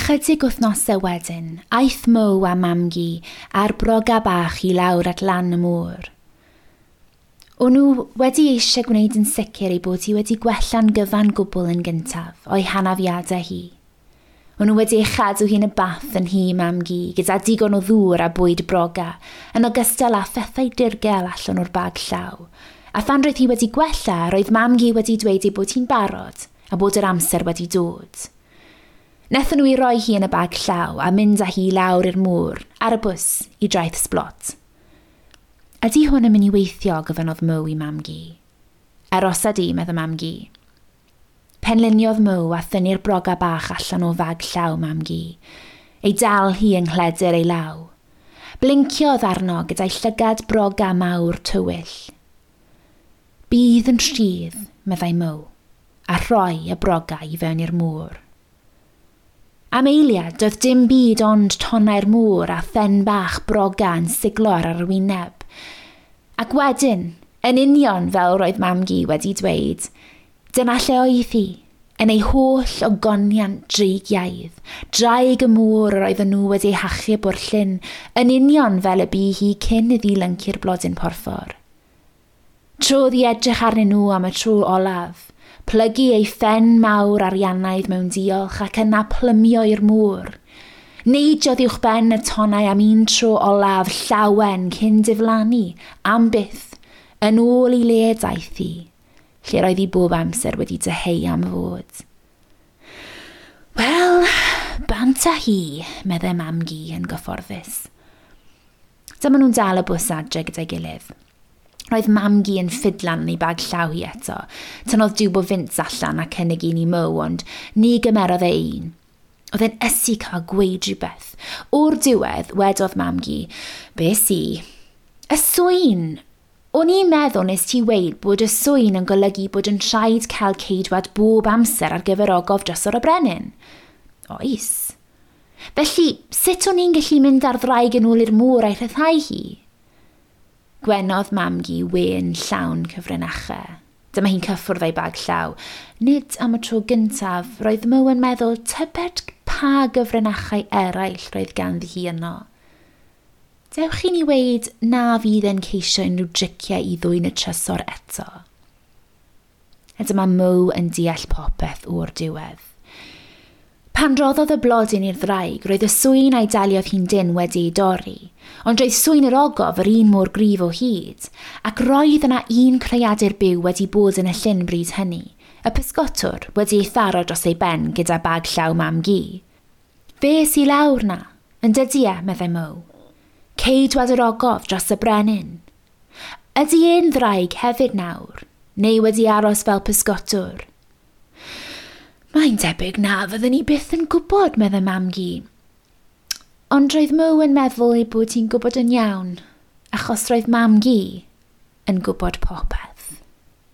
Ychydig wythnosau wedyn, aeth Mo a Mamgu a'r broga bach i lawr at lan y môr. O'n nhw wedi eisiau gwneud yn sicr ei bod hi wedi gwella'n gyfan gwbl yn gyntaf o'i hanafiadau hi. O'n nhw wedi ei chadw hi'n y bath yn nhŷ Mamgu gyda digon o ddŵr a bwyd broga, yn ogystal â phethau dirgel allan o'r bag llaw. A phan roedd hi wedi gwella, roedd Mamgu wedi dweud ei bod hi'n barod a bod yr amser wedi dod. Nethon nhw i roi hi yn y bag llaw a mynd â hi lawr i'r môr, ar y bws, i draeth Sblot. Ydy hwn yn mynd i weithio, gofynnodd Mo i Mamgu. Arosa di, medda Mamgu. Penliniodd Mo a thynnu'r broga bach allan o fag llaw Mamgu. Ei dal hi yng nghledr ei law. Blinciodd arno gyda'i llygad broga mawr tywyll. Bydd yn rhydd, meddai Mo, a rhoi y broga i fewn i'r môr. Am eiliad, doedd dim byd ond tonnau'r môr a phen bach broga yn siglo ar yr wyneb. Ac wedyn, yn union fel roedd Mamgu wedi dweud, dyna lle oedd hi, yn ei holl ogoniant dreigiaidd, draig y môr yr oedden nhw wedi ei hachub o'r llyn, yn union fel y bu hi cyn iddi lyncu'r blodyn porffor. Trodd i edrych arnyn nhw am y tro olaf, plygu ei phen mawr ariannaidd mewn diolch ac yna plymio i'r môr. Neidiodd uwch ben y tonnau am un tro olaf llawen cyn diflannu, am byth, yn ôl i le daeth hi, lle roedd hi bob amser wedi dyheu am fod. Wel, bant â hi, meddai Mamgu yn gyfforddus. Dyma nhw'n dal y bws adre gyda'i gilydd. Roedd Mamgu yn ffidlan yn ei bag llaw hi eto. Tynnodd diwb o fints allan a cynnig un i Mo, ond ni gymerodd e un. Oedd e'n ysu cael gweud rhywbeth. O'r diwedd, wedodd Mamgu, be si? Y swyn! O'n i'n meddwl nes ti weud bod y swyn yn golygu bod yn rhaid cael ceidwad bob amser ar gyfer ogof Drysor y Brenin. Oes. Felly, sut o'n i'n gallu mynd ar ddraig yn ôl i'r môr a'i rhyddhau hi? Gwenodd Mamgu wên llawn cyfrinachau. Dyma hi'n cyffwrdd â'i bag llaw. Nid am y tro gyntaf, roedd Mo yn meddwl tybed pa gyfrinachau eraill roedd ganddi hi yno. Dewch i ni weud na fydd e'n ceisio unrhyw driciau i ddwyn y trysor eto. A dyma Mo yn deall popeth o'r diwedd. Pan roddodd y blodyn i'r ddraig, roedd y swyn a'i daliodd hi'n dynn wedi ei dorri, ond roedd swyn yr ogof yr un mor gryf o hyd, ac roedd yna un creadur byw wedi bod yn y llyn bryd hynny, y pysgotwr wedi ei tharo dros ei ben gyda bag llaw Mamgu. Fe sy lawr 'na, yn dydy e, meddai Mo. Ceidwad yr ogof dros y brenin. Ydy e'n ddraig hefyd nawr, neu wedi aros fel pysgotwr? Mae'n debyg na fyddwn ni byth yn gwybod, meddai Mamgu. Ond roedd Mo yn meddwl ei bod hi'n gwybod yn iawn, achos roedd Mamgu yn gwybod popeth.